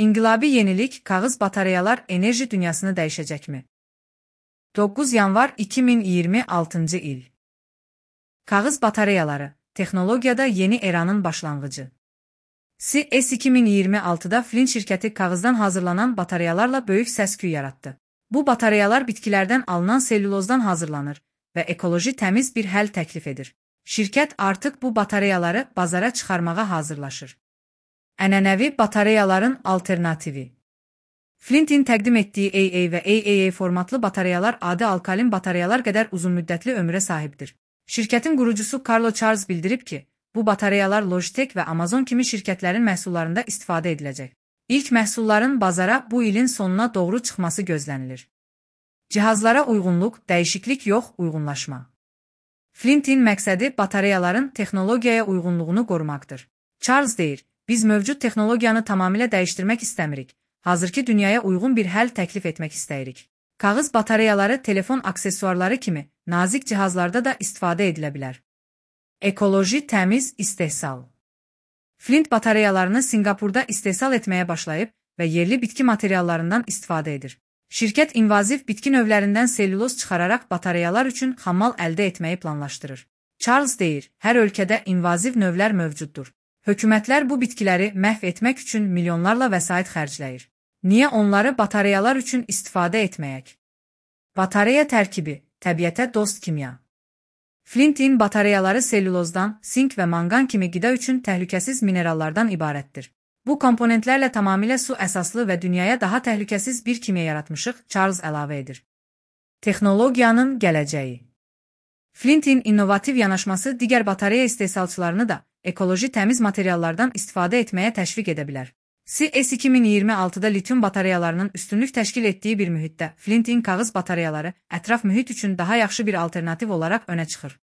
İnqilabi yenilik, kağız batareyalar enerji dünyasını dəyişəcəkmi? 9 yanvar 2026 il. Kağız batareyaları, texnologiyada yeni eranın başlanğıcı. CES 2026'da Flint şirkəti kağızdan hazırlanan batareyalarla böyük səs-küy yaratdı. Bu batareyalar bitkilərdən alınan selülozdan hazırlanır və ekoloji təmiz bir həll təklif edir. Şirkət artıq bu batareyaları bazara çıxarmağa hazırlaşır. Ənənəvi batareyaların alternativi. Flint'in təqdim etdiyi AA və AAA formatlı batareyalar adi alkalin batareyalar qədər uzunmüddətli ömrə sahibdir. Şirkətin qurucusu Carlo Charles bildirib ki, bu batareyalar Logitech və Amazon kimi şirkətlərin məhsullarında istifadə ediləcək. İlk məhsulların bazara bu ilin sonuna doğru çıxması gözlənilir. Cihazlara uyğunluq, dəyişiklik yox, uyğunlaşma. Flint'in məqsədi batareyaların texnologiyaya uyğunluğunu qorumaqdır. Charles deyir, biz mövcud texnologiyanı tamamilə dəyişdirmək istəmirik. Hazırki dünyaya uyğun bir həll təklif etmək istəyirik. Kağız batareyaları telefon aksesuarları kimi nazik cihazlarda da istifadə edilə bilər. Ekoloji təmiz istehsal. Flint batareyalarını Singapurda istehsal etməyə başlayıb və yerli bitki materiallarından istifadə edir. Şirkət invaziv bitki növlərindən selüloz çıxararaq batareyalar üçün xammal əldə etməyi planlaşdırır. Charles deyir, hər ölkədə invaziv növlər mövcuddur. Hökumətlər bu bitkiləri məhv etmək üçün milyonlarla vəsait xərcləyir. Niyə onları batareyalar üçün istifadə etməyək? Batareya tərkibi, təbiətə dost kimya. Flint'in batareyaları selülozdan, sink və manqan kimi qida üçün təhlükəsiz minerallardan ibarətdir. Bu komponentlərlə tamamilə su əsaslı və dünyaya daha təhlükəsiz bir kimya yaratmışıq, Charles əlavə edir. Texnologiyanın gələcəyi. Flint'in innovativ yanaşması digər batareya istehsalçılarını da ekoloji təmiz materiallardan istifadə etməyə təşviq edə bilər. CES 2026'da lityum batareyalarının üstünlük təşkil etdiyi bir mühitdə Flint'in kağız batareyaları ətraf mühit üçün daha yaxşı bir alternativ olaraq önə çıxır.